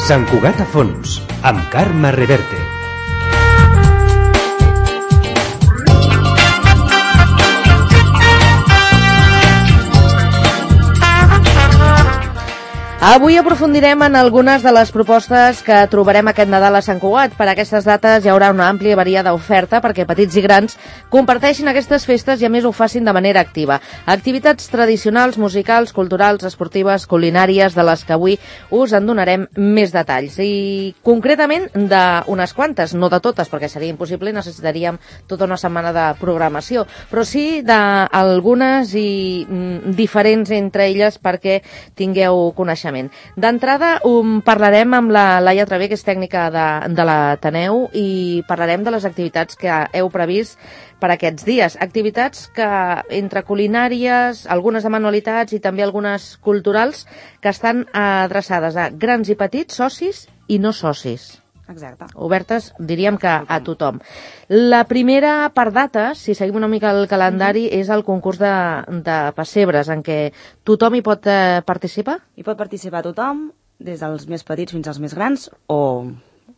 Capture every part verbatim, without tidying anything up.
Sant Cugat a fons, amb Carme Reverte. Avui aprofundirem en algunes de les propostes que trobarem aquest Nadal a Sant Cugat. Per aquestes dates hi haurà una àmplia variada oferta perquè petits i grans comparteixin aquestes festes i a més ho facin de manera activa. Activitats tradicionals, musicals, culturals, esportives, culinàries, de les que avui us en donarem més detalls. I concretament d'unes quantes, no de totes, perquè seria impossible i necessitaríem tota una setmana de programació, però sí d'algunes i mm, diferents entre elles perquè tingueu coneixement. D'entrada um, parlarem amb la Laia Travé, que és tècnica de, de l'Ateneu, i parlarem de les activitats que heu previst per aquests dies. Activitats que, entre culinàries, algunes de manualitats i també algunes culturals, que estan adreçades a grans i petits, socis i no socis. Exacte. Obertes, diríem que a tothom. La primera per data, si seguim una mica el calendari, mm-hmm. és el concurs de, de pessebres, en què tothom hi pot eh, participar? Hi pot participar tothom, des dels més petits fins als més grans, o,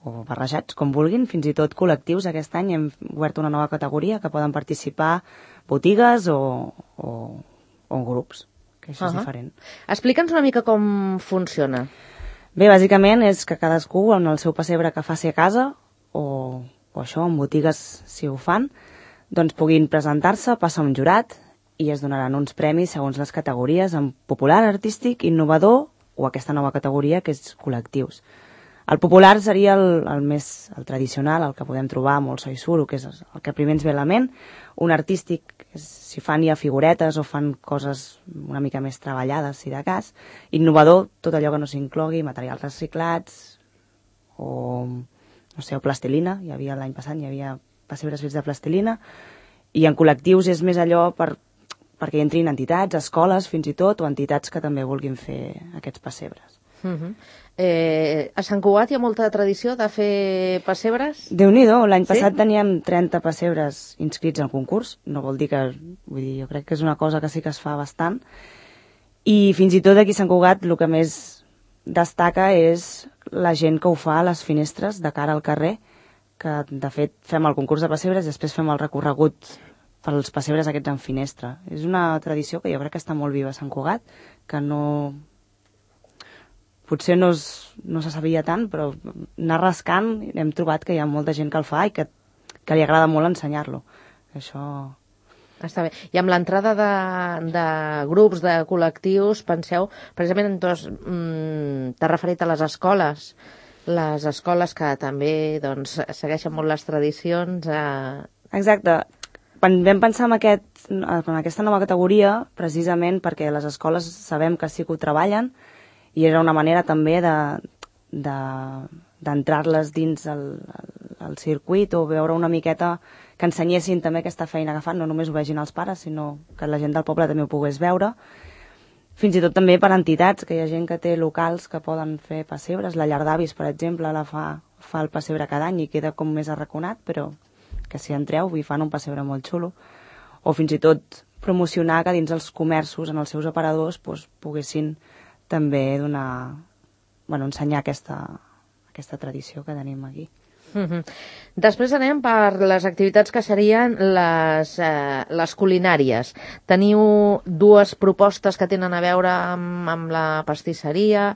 o barrejats, com vulguin, fins i tot col·lectius. Aquest any hem obert una nova categoria que poden participar botigues o, o, o grups, que això uh-huh. és diferent. Explica'ns una mica com funciona. Bé, bàsicament és que cadascú, en el seu pessebre que faci a casa, o, o això, en botigues si ho fan, doncs puguin presentar-se, passa un jurat i es donaran uns premis segons les categories en popular, artístic, innovador o aquesta nova categoria que és col·lectius. El popular seria el, el més el tradicional, el que podem trobar molt so i suro, que és el que primer ens ve a la ment. Un artístic, és, si fan ja figuretes o fan coses una mica més treballades, si de cas. Innovador, tot allò que no s'inclogui, materials reciclats o, no sé, o plastilina. Hi havia l'any passat, hi havia pessebres fets de plastilina. I en col·lectius és més allò per, perquè entrin entitats, escoles fins i tot, o entitats que també vulguin fer aquests pessebres. Uh-huh. Eh, a Sant Cugat hi ha molta tradició de fer pessebres? Déu-n'hi-do, l'any passat sí? teníem trenta pessebres inscrits al concurs, no vol dir que, vull dir, jo crec que és una cosa que sí que es fa bastant, i fins i tot aquí a Sant Cugat el que més destaca és la gent que ho fa a les finestres de cara al carrer, que de fet fem el concurs de pessebres i després fem el recorregut pels pessebres aquests en finestra. És una tradició que jo crec que està molt viva a Sant Cugat, que no... potser no, es, no se sabia tant, però anar rascant hem trobat que hi ha molta gent que el fa i que, que li agrada molt ensenyar-lo. Això... Està bé. I amb l'entrada de, de grups, de col·lectius, penseu, precisament, doncs, mm, t'has referit a les escoles, les escoles que també doncs, segueixen molt les tradicions. Eh... Exacte. Vam pensar en, aquest, en aquesta nova categoria precisament perquè les escoles sabem que sí que ho treballen, i era una manera també de, de, d'entrar-les dins el, el, el circuit o veure una miqueta que ensenyessin també aquesta feina que fan, no només ho vegin els pares, sinó que la gent del poble també ho pogués veure. Fins i tot també per entitats, que hi ha gent que té locals que poden fer pessebres. La Llar d'Avis, per exemple, la fa, fa el pessebre cada any i queda com més arraconat, però que si entreu hi fan un pessebre molt xulo. O fins i tot promocionar que dins els comerços, en els seus aparadors, doncs, poguessin també donar, bueno, ensenyar aquesta, aquesta tradició que tenim aquí. Uh-huh. Després anem per les activitats que serien les, eh, les culinàries. Teniu dues propostes que tenen a veure amb, amb la pastisseria,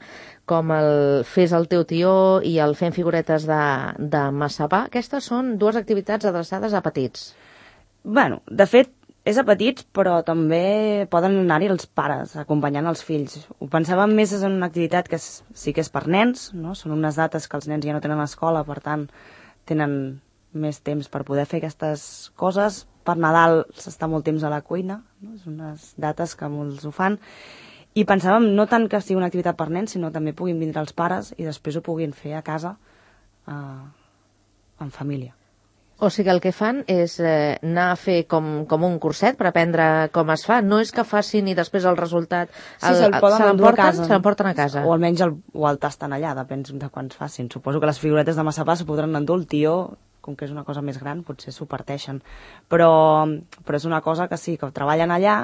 com el Fes el teu tió i el Fem figuretes de, de massapà. Aquestes són dues activitats adreçades a petits. Bueno, de fet, és a petits, però també poden anar-hi els pares, acompanyant els fills. Ho pensàvem més en una activitat que és, sí que és per nens, no? Són unes dates que els nens ja no tenen escola, per tant, tenen més temps per poder fer aquestes coses. Per Nadal s'està molt temps a la cuina, no? És unes dates que molts ho fan. I pensàvem no tant que sigui una activitat per nens, sinó també puguin vindre els pares i després ho puguin fer a casa eh, en família. O sigui, el que fan és eh, anar a fer com, com un curset per aprendre com es fa. No és que facin i després el resultat... El, sí, se'l poden se endur a casa. Se l'emporten a casa. O almenys el, o el tasten allà, depèn de quants facin. Suposo que les figuretes de massapà s'ho podran endur, el tió, com que és una cosa més gran, potser s'ho parteixen. Però, però és una cosa que sí, que ho treballen allà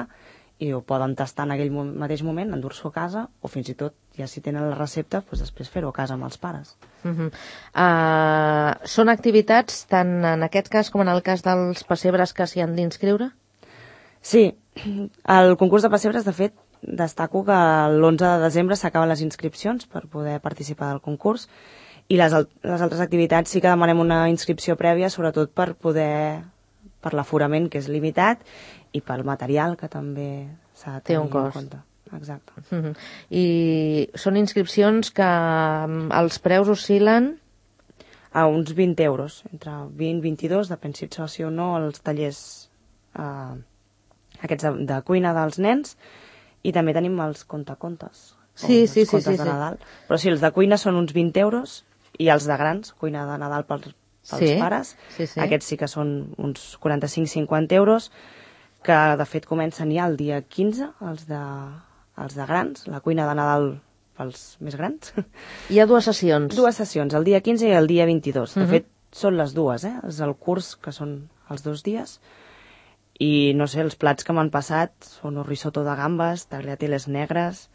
i ho poden tastar en aquell mateix moment, endur-s'ho a casa, o fins i tot, ja si tenen la recepta, doncs després fer-ho a casa amb els pares. Uh -huh. uh, són activitats tant en aquest cas com en el cas dels pessebres que s'hi han d'inscriure? Sí, el concurs de pessebres, de fet, destaco que l'onze de desembre s'acaben les inscripcions per poder participar del concurs, i les, les altres activitats sí que demanem una inscripció prèvia, sobretot per poder, per l'aforament, que és limitat, i pel material, que també s'ha de tenir en compte. Exacte. Uh-huh. I són inscripcions que els preus oscil·len? A uns vint euros, entre vint i vint-i-dos, depèn si ets soci o no, els tallers eh, aquests de, de cuina dels nens, i també tenim els contacontes. Sí, sí, els sí, sí, de Nadal. Però sí, els de cuina són uns vint euros, i els de grans, cuina de Nadal pels, pels sí, pares, sí, sí. aquests sí que són uns quaranta-cinc a cinquanta euros, que de fet comencen ja el dia quinze, els de, els de grans, la cuina de Nadal pels més grans. Hi ha dues sessions. Dues sessions, el dia quinze i el dia vint-i-dos. De Uh-huh. fet, són les dues, eh? És el curs, que són els dos dies. I, no sé, els plats que m'han passat són un risotto de gambes, tagliatelles negres,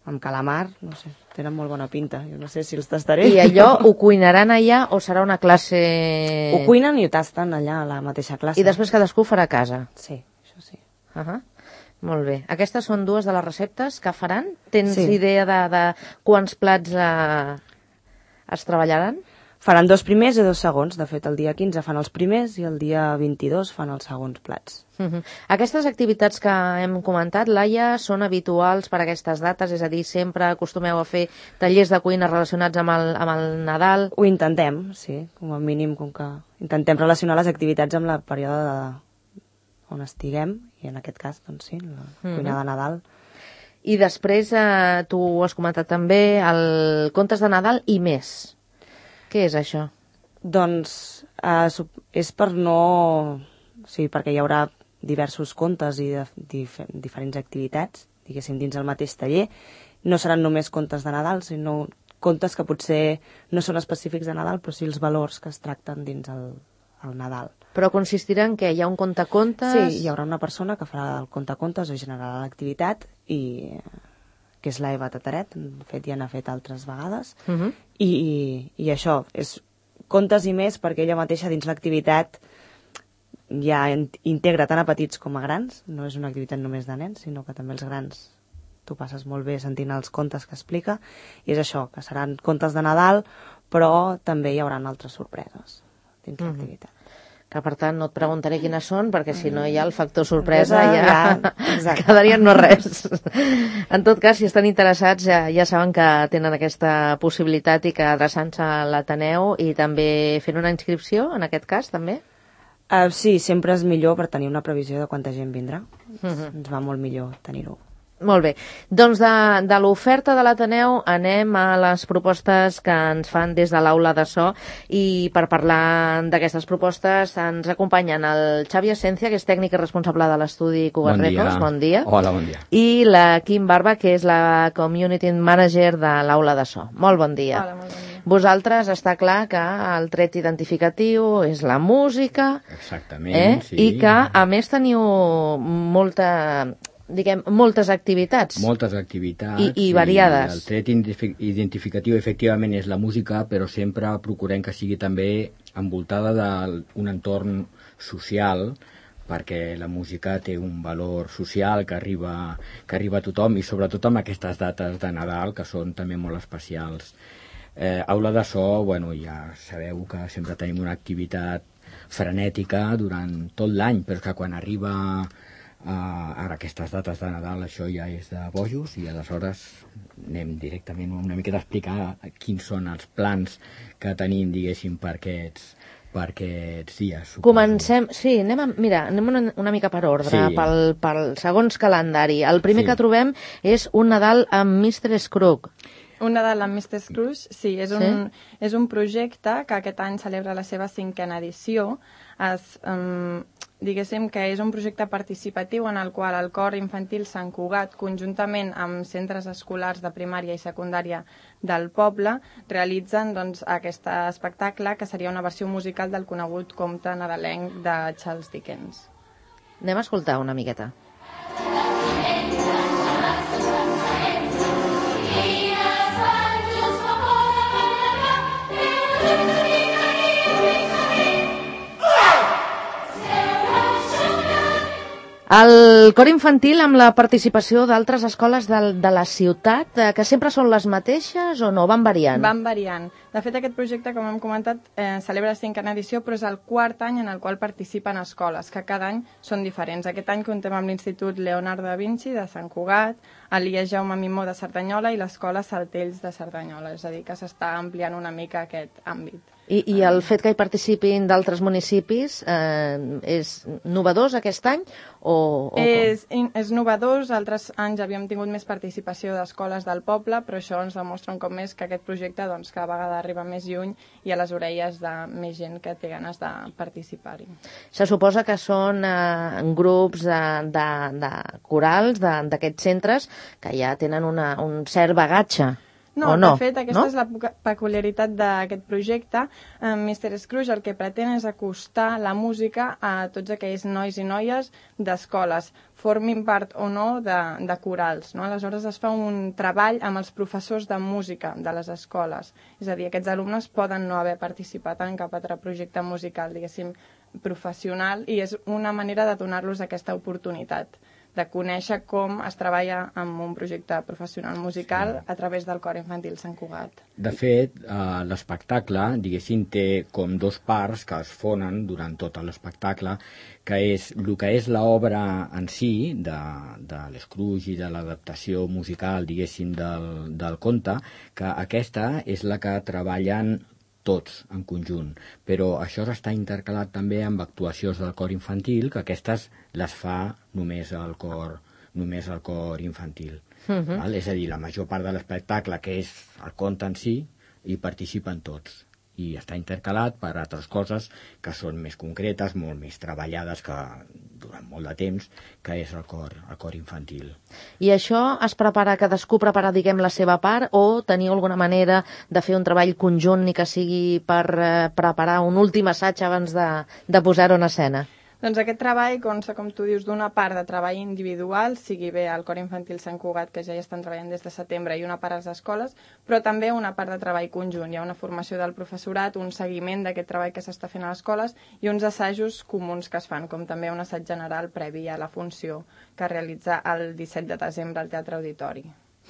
amb calamar, no sé, tenen molt bona pinta. Jo no sé si els tastaré. I allò ho cuinaran allà o serà una classe... Ho cuinen i ho tasten allà a la mateixa classe. I després cadascú farà a casa? Sí, això sí. Uh -huh. Molt bé. Aquestes són dues de les receptes que faran? Tens Sí. idea de, de quants plats eh, es treballaran? Faran dos primers i dos segons. De fet, el dia quinze fan els primers i el dia vint-i-dos fan els segons plats. Uh -huh. Aquestes activitats que hem comentat, Laia, són habituals per a aquestes dates? És a dir, sempre acostumeu a fer tallers de cuina relacionats amb el, amb el Nadal? Ho intentem, sí, com a mínim, com que intentem relacionar les activitats amb el període de... on estiguem, i en aquest cas, doncs sí, la Uh-huh. cuina de Nadal. I després, eh, tu ho has comentat també, el contes de Nadal i més. Què és això? Doncs eh, és per no... O sigui, perquè hi haurà diversos contes i de, dif diferents activitats, diguéssim, dins el mateix taller. No seran només contes de Nadal, sinó contes que potser no són específics de Nadal, però sí els valors que es tracten dins el, el Nadal. Però consistirà en què? Hi ha un contacontes? Sí, hi haurà una persona que farà el contacontes o generarà l'activitat, i que és l'Eva Tataret, de fet ja n'ha fet altres vegades, Uh -huh. i, i això, és contes i més, perquè ella mateixa dins l'activitat ja integra tant a petits com a grans, no és una activitat només de nens, sinó que també els grans tu passes molt bé sentint els contes que explica, i és això, que seran contes de Nadal, però també hi haurà altres sorpreses dins uh -huh. l'activitat. Que per tant no et preguntaré quines són, perquè si no hi ha el factor sorpresa ja, ja quedarien no res. En tot cas, si estan interessats ja, ja saben que tenen aquesta possibilitat i que adreçant-se a l'Ateneu i també fent una inscripció, en aquest cas, també? Uh, sí, sempre és millor per tenir una previsió de quanta gent vindrà. Uh -huh. Ens va molt millor tenir-ho. Molt bé. Doncs de, de l'oferta de l'Ateneu anem a les propostes que ens fan des de l'aula de so, i per parlar d'aquestes propostes ens acompanyen el Xavi Asencia, que és tècnic i responsable de l'estudi Cugat Bon dia. Records. Bon dia. Hola, bon dia. I la Kim Barba, que és la Community Manager de l'aula de so. Molt bon dia. Hola, molt bon dia. Vosaltres està clar que el tret identificatiu és la música, Exactament, eh? sí. I que a més teniu molta... diguem, moltes activitats. Moltes activitats. I, i variades. I el tret identificatiu, efectivament, és la música, però sempre procurem que sigui també envoltada d'un entorn social, perquè la música té un valor social que arriba, que arriba a tothom, i sobretot amb aquestes dates de Nadal, que són també molt especials. Eh, aula de so, bueno, ja sabeu que sempre tenim una activitat frenètica durant tot l'any, però que quan arriba... Uh, ara aquestes dates de Nadal això ja és de bojos, i aleshores anem directament una mica d'explicar quins són els plans que tenim, diguéssim, per aquests, per aquests dies. Suposo. Comencem, sí, anem a, mira, anem una, una mica per ordre, Sí. pel, pel segons calendari. El primer Sí. que trobem és un Nadal amb mister Scrooge. Un Nadal amb mister Scrooge, sí, és un, Sí? és un projecte que aquest any celebra la seva cinquena edició. Es, um, diguéssim que és un projecte participatiu en el qual el cor infantil Sant Cugat, conjuntament amb centres escolars de primària i secundària del poble, realitzen doncs, aquest espectacle, que seria una versió musical del conegut conte nadalenc de Charles Dickens. Anem a escoltar una miqueta. El cor infantil amb la participació d'altres escoles de, de la ciutat, eh, que sempre són les mateixes o no? Van variant? Van variant. De fet, aquest projecte, com hem comentat, eh, celebra la cinquena edició, però és el quart any en el qual participen escoles, que cada any són diferents. Aquest any contem amb l'Institut Leonardo da Vinci de Sant Cugat, el I E Jaume Mimó de Cerdanyola i l'Escola Saltells de Cerdanyola, és a dir, que s'està ampliant una mica aquest àmbit. I, i el fet que hi participin d'altres municipis eh, és novedós aquest any? O, o és, és novedós, altres anys havíem tingut més participació d'escoles del poble, però això ens demostra un cop més que aquest projecte doncs, cada vegada arriba més lluny i a les orelles de més gent que té ganes de participar-hi. Se suposa que són eh, grups de, de, de corals d'aquests centres que ja tenen una, un cert bagatge. No, no, de fet, aquesta no? és la peculiaritat d'aquest projecte. Eh, mister Scrooge el que pretén és acostar la música a tots aquells nois i noies d'escoles, formin part o no de, de corals. No? Aleshores es fa un treball amb els professors de música de les escoles. És a dir, aquests alumnes poden no haver participat en cap altre projecte musical, diguéssim, professional, i és una manera de donar-los aquesta oportunitat de conèixer com es treballa amb un projecte professional musical a través del Cor Infantil Sant Cugat. De fet, eh, l'espectacle, diguéssim, té com dos parts que es fonen durant tot l'espectacle, que és el que és l'obra en si, de, de l'Scrooge i de l'adaptació musical, diguéssim, del, del conte, que aquesta és la que treballen tots en conjunt, però això està intercalat també amb actuacions del cor infantil, que aquestes les fa només el cor, només el cor infantil. Uh-huh. Val? És a dir, la major part de l'espectacle, que és el conte en si, hi participen tots. I està intercalat per altres coses que són més concretes, molt més treballades que durant molt de temps, que és el cor, el cor infantil. I això es prepara, cadascú prepara, diguem, la seva part, o teniu alguna manera de fer un treball conjunt ni que sigui per eh, preparar un últim assaig abans de, de posar-ho en escena? Doncs aquest treball consta, com tu dius, d'una part de treball individual, sigui bé el Cor Infantil Sant Cugat, que ja hi estan treballant des de setembre, i una part a les escoles, però també una part de treball conjunt. Hi ha una formació del professorat, un seguiment d'aquest treball que s'està fent a les escoles i uns assajos comuns que es fan, com també un assaig general previ a la funció que es realitza el disset de desembre al Teatre Auditori.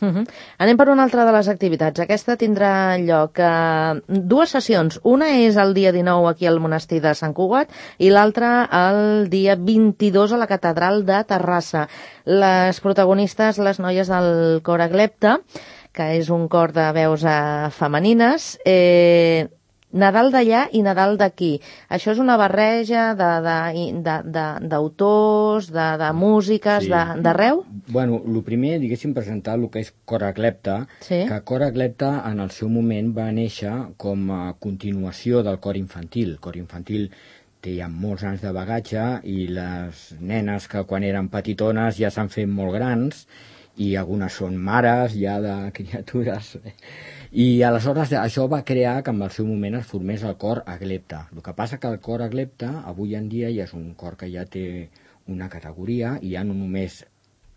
Uh-huh. Anem per una altra de les activitats. Aquesta tindrà lloc eh, dues sessions. Una és el dia dinou aquí al monestir de Sant Cugat i l'altra el dia vint-i-dos a la catedral de Terrassa. Les protagonistes, les noies del cor Aglepta, que és un cor de veus eh, femenines, eh, Nadal d'allà i Nadal d'aquí. Això és una barreja d'autors, de, de, de, de, de músiques, sí. d'arreu? Bueno, el primer, diguéssim, presentar el que és Cor Aglepta, sí. Que Cor Aglepta en el seu moment va néixer com a continuació del cor infantil. El cor infantil té ja molts anys de bagatge i les nenes que quan eren petitones ja s'han fet molt grans i algunes són mares ja de criatures. I aleshores això va crear que en el seu moment es formés el cor Aglepta. El que passa que el cor Aglepta avui en dia ja és un cor que ja té una categoria i ja no només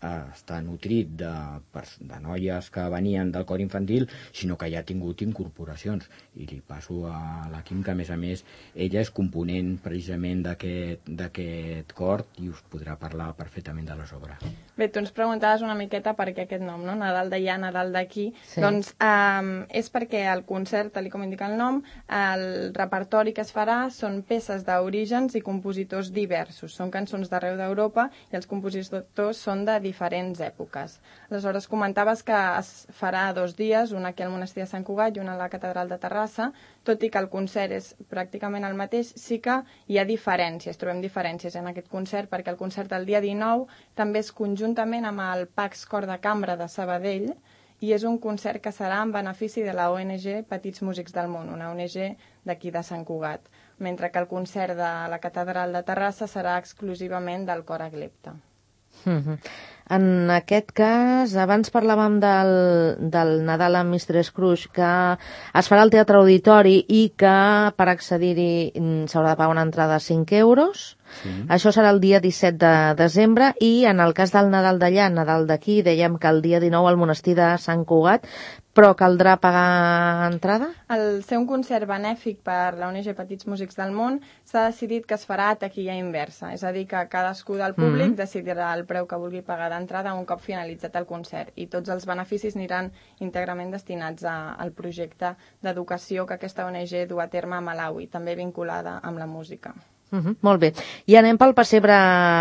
està nutrit de, de noies que venien del cor infantil, sinó que ja ha tingut incorporacions. I li passo a la Quim, que a més a més ella és component precisament d'aquest cor i us podrà parlar perfectament de les obres. Bé, tu ens preguntaves una miqueta per què aquest nom, no? Nadal d'allà, Nadal d'aquí. Sí. Doncs eh, és perquè el concert, tal com indica el nom, el repertori que es farà són peces d'orígens i compositors diversos. Són cançons d'arreu d'Europa i els compositors són de diferents èpoques. Aleshores, comentaves que es farà dos dies, un aquí al monestir de Sant Cugat i un a la catedral de Terrassa, tot i que el concert és pràcticament el mateix, sí que hi ha diferències, trobem diferències en aquest concert, perquè el concert el dia dinou també és conjuntament amb el Pax Cor de Cambra de Sabadell i és un concert que serà en benefici de la O N G Petits Músics del Món, una O N G d'aquí de Sant Cugat, mentre que el concert de la catedral de Terrassa serà exclusivament del cor Aglepta. Mm-hmm. En aquest cas, abans parlàvem del, del Nadal amb mister Scrooge, que es farà al Teatre Auditori i que per accedir-hi s'haurà de pagar una entrada de cinc euros. Sí. Això serà el dia disset de desembre i en el cas del Nadal d'allà, Nadal d'aquí, dèiem que el dia dinou al monestir de Sant Cugat, però caldrà pagar entrada? Al ser un concert benèfic per la O N G Petits Músics del Món, s'ha decidit que es farà a taquilla inversa, és a dir, que cadascú del públic mm-hmm. decidirà el preu que vulgui pagar d'entrada un cop finalitzat el concert, i tots els beneficis aniran íntegrament destinats a, al projecte d'educació que aquesta O N G du a terme a Malawi, també vinculada amb la música. Uh -huh, molt bé. I anem pel pessebre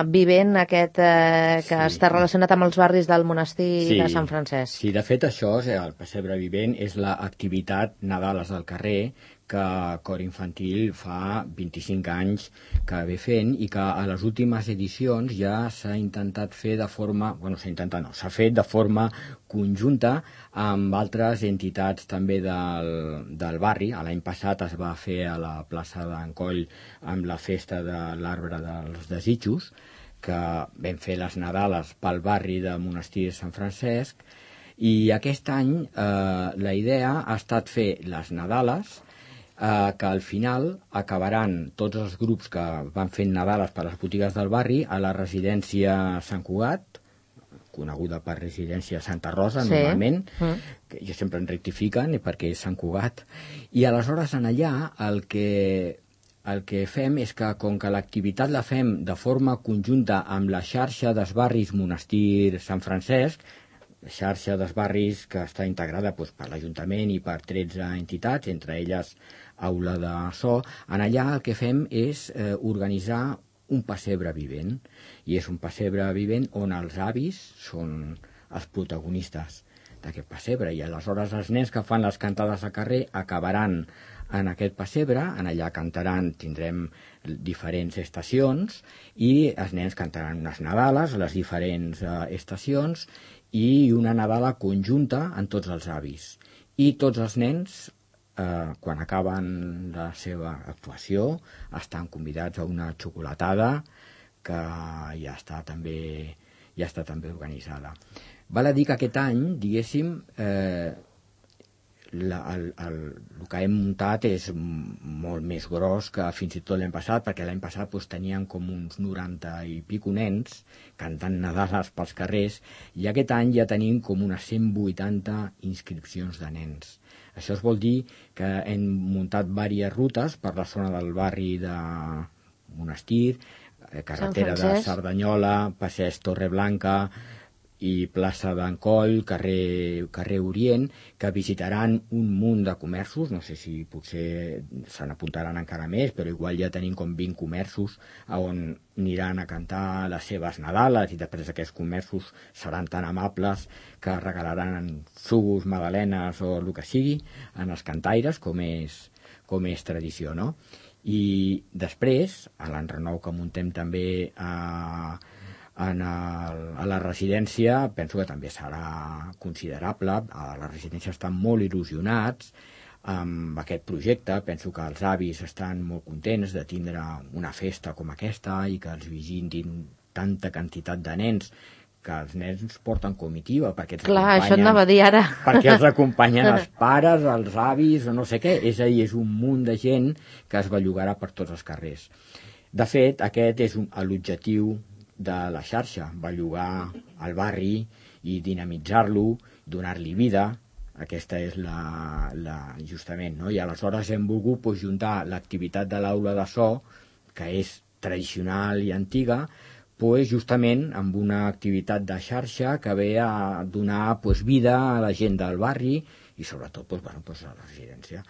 vivent aquest eh, que sí. està relacionat amb els barris del monestir sí. de Sant Francesc. Sí, de fet això, el pessebre vivent, és l'activitat Nadales al carrer que Cor Infantil fa vint-i-cinc anys que ve fent i que a les últimes edicions ja s'ha intentat fer de forma, bueno, s'ha intentat no, s'ha fet de forma conjunta amb altres entitats també del, del barri. L'any passat es va fer a la plaça d'Encoll amb la festa de l'Arbre dels Desitjos, que vam fer les Nadales pel barri de Monestir de Sant Francesc, i aquest any eh, la idea ha estat fer les Nadales eh, que al final acabaran tots els grups que van fent Nadales per les botigues del barri a la residència Sant Cugat, coneguda per residència Santa Rosa, sí. normalment, mm. que jo sempre en rectifiquen perquè és Sant Cugat, i aleshores en allà el que, el que fem és que com que l'activitat la fem de forma conjunta amb la xarxa dels barris Monestir Sant Francesc, xarxa dels barris que està integrada doncs, per l'Ajuntament i per tretze entitats, entre elles Aula de So, en allà el que fem és eh, organitzar un pessebre vivent, i és un pessebre vivent on els avis són els protagonistes d'aquest pessebre, i aleshores els nens que fan les cantades a carrer acabaran en aquest pessebre, en allà cantaran, tindrem diferents estacions, i els nens cantaran unes Nadales a les diferents eh, estacions, i una Nadala conjunta en tots els avis. I tots els nens, eh, quan acaben la seva actuació, estan convidats a una xocolatada que ja està també, ja està també organitzada. Val a dir que aquest any, diguéssim, eh, la, el, el, el que hem muntat és molt més gros que fins i tot l'any passat, perquè l'any passat doncs, tenien com uns noranta i pico nens cantant Nadales pels carrers, i aquest any ja tenim com unes cent vuitanta inscripcions de nens. Això es vol dir que hem muntat diverses rutes per la zona del barri de Monestir, carretera de Cerdanyola, passeig Torreblanca i plaça d'Encoll, carrer, carrer Orient, que visitaran un munt de comerços, no sé si potser se n'apuntaran encara més, però igual ja tenim com vint comerços on aniran a cantar les seves Nadales, i després aquests comerços seran tan amables que regalaran sucs, magdalenes o el que sigui en els cantaires, com és, com és tradició, no? I després, a l'enrenou que muntem també a, en el, a la residència, penso que també serà considerable. A la residència estan molt il·lusionats amb aquest projecte. Penso que els avis estan molt contents de tindre una festa com aquesta i que els visitin tanta quantitat de nens, que els nens porten comitiva, perquè els Clar, això anava a dir ara. perquè els acompanyen els pares, els avis o no sé què. És a dir, és un munt de gent que es bellugarà per tots els carrers. De fet, aquest és un, l'objectiu de la xarxa, bellugar el barri i dinamitzar-lo, donar-li vida. Aquesta és la, la justament, no? I aleshores hem volgut pues, juntar l'activitat de l'Aula de So, que és tradicional i antiga, pues, justament amb una activitat de xarxa que ve a donar pues, vida a la gent del barri i sobretot pues, bueno, pues, a la residència.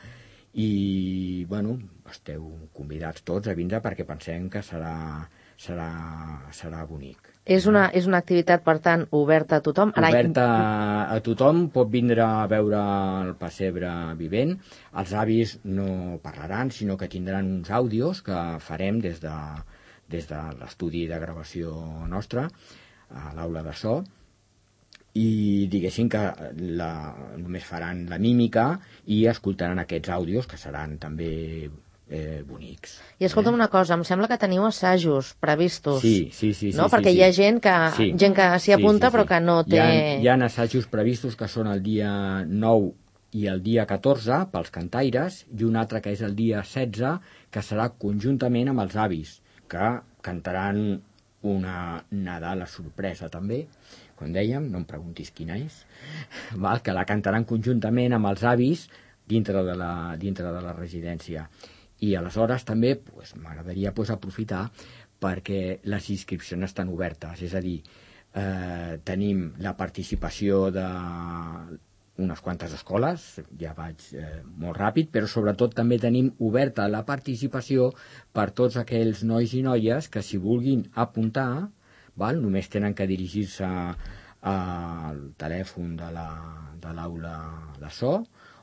I bueno, esteu convidats tots a vindre perquè pensem que serà, serà, serà bonic. És una, és una activitat, per tant, oberta a tothom? Oberta a tothom, pot vindre a veure el pessebre vivent. Els avis no parlaran, sinó que tindran uns àudios que farem des de des de l'estudi de gravació nostre, a l'Aula de So, i diguéssim que la, només faran la mímica i escoltaran aquests àudios, que seran també eh, bonics. I escolta'm eh? una cosa, em sembla que teniu assajos previstos. Sí, sí, sí. No? sí Perquè sí, hi ha sí. gent que sí. gent que s'hi apunta sí, sí, sí. però que no té... Hi ha, hi ha assajos previstos que són el dia nou i el dia catorze pels cantaires i un altre que és el dia setze que serà conjuntament amb els avis que cantaran una Nadal a sorpresa també, com dèiem, no em preguntis quina és, val? Que la cantaran conjuntament amb els avis dintre de la, dintre de la residència. I aleshores també pues, m'agradaria pues, aprofitar perquè les inscripcions estan obertes, és a dir, eh, tenim la participació de unes quantes escoles, ja vaig eh, molt ràpid, però sobretot també tenim oberta la participació per tots aquells nois i noies que si vulguin apuntar, val? Només tenen que dirigir-se al telèfon de l'aula de so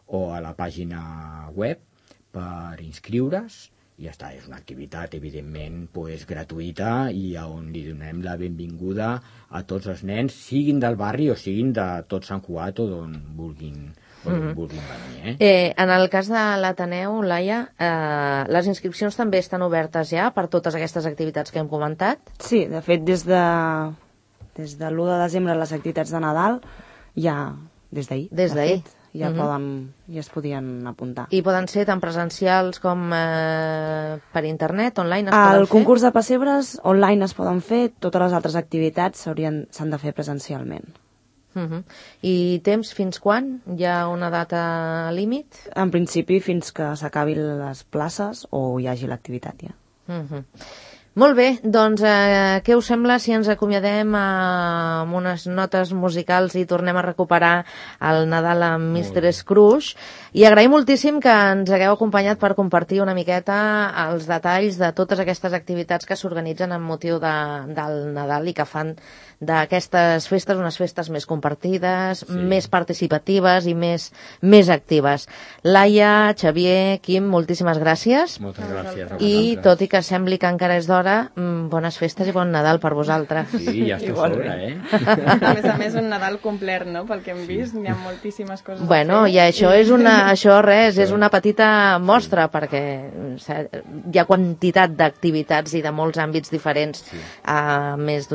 o a la pàgina web per inscriure's i ja està, és una activitat evidentment pues, gratuïta i on li donem la benvinguda a tots els nens, siguin del barri o siguin de tot Sant Cugat o d'on vulguin, o d'on vulguin venir. Eh? Eh, en el cas de l'Ateneu, Laia, eh, les inscripcions també estan obertes ja per totes aquestes activitats que hem comentat? Sí, de fet, des de, des de l'u de desembre les activitats de Nadal ja des d'ahir. Des d'ahir. Ja, uh-huh. poden, ja es podien apuntar. I poden ser tant presencials com eh, per internet, online es El poden fer? El concurs de pessebres online es poden fer, totes les altres activitats s'han de fer presencialment. Uh-huh. I temps fins quan? Hi ha una data límit? En principi fins que s'acabin les places o hi hagi l'activitat ja. Uh-huh. Molt bé, doncs eh, què us sembla si ens acomiadem amb unes notes musicals i tornem a recuperar el Nadal amb mister Scrooge? I agraïm moltíssim que ens hagueu acompanyat per compartir una miqueta els detalls de totes aquestes activitats que s'organitzen amb motiu de, del Nadal i que fan d'aquestes festes unes festes més compartides, sí. més participatives i més, més actives. Laia, Xavier, Quim, moltíssimes gràcies. Moltes gràcies a I vosaltres. tot i que sembli que encara és d'hora, bones festes i bon Nadal per vosaltres. Sí, ja està a sobre, eh? A més a més, un Nadal complet, no? Pel que hem vist, hi ha moltíssimes coses bueno, a fer. I això és una, això res, és una petita mostra, perquè hi ha quantitat d'activitats i de molts àmbits diferents, sí. a més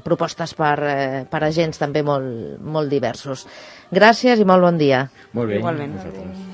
propostes per, eh, per agents també molt, molt diversos. Gràcies i molt bon dia. Molt bé, igualment. Vosaltres.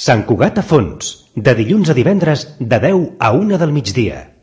Sant Cugat a fons, de dilluns a divendres de deu a una del migdia.